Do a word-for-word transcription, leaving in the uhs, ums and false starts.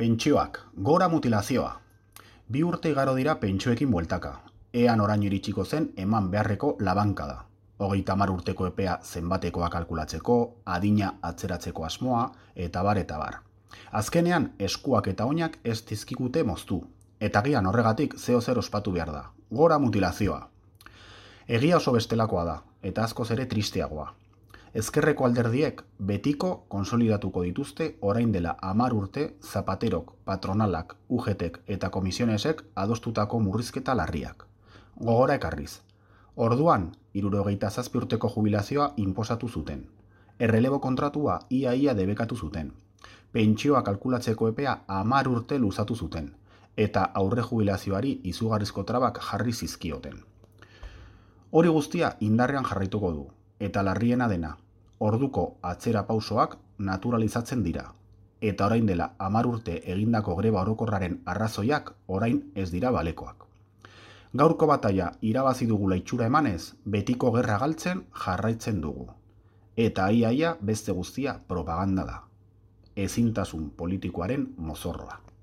Pentsioak, gora mutilazioa. Bi urte igaro dira pentsioekin bueltaka. Ean orain iritsiko zen eman beharreko labankada. Hogeita hamar urteko epea zenbatekoa kalkulatzeko, adina atzeratzeko asmoa, eta bar eta bar. Azkenean, eskuak eta oinak ez dizkigute moztu. Eta gian horregatik zeo zer ospatu behar da. Gora mutilazioa. Egia oso bestelakoa da, eta askoz ere tristeagoa. Ezkerreko alderdiek betiko konsolidatuko dituzte orain dela hamar urte Zapaterok, patronalak, U G Tek eta komisionesek adostutako murrizketa larriak. Gogora ekarriz. Orduan, hirurogeita zazpi urteko jubilazioa inposatu zuten. Errelebo kontratua ia-ia debekatu zuten. Pentsioa kalkulatzeko epea hamar urte luzatu zuten. Eta aurre jubilazioari izugarrizko trabak jarri zizkioten. Hori guztia indarrean jarraituko du. Eta larriena dena, orduko atzera pausoak naturalizatzen dira. Eta orain dela hamar urte egindako greba orokorraren arrazoiak orain ez dira balekoak. Gaurko bataia irabazi dugula itxura emanez, betiko gerra galtzen jarraitzen dugu. Eta ia-ia beste guztia propaganda da. Ezintasun politikoaren mozorroa.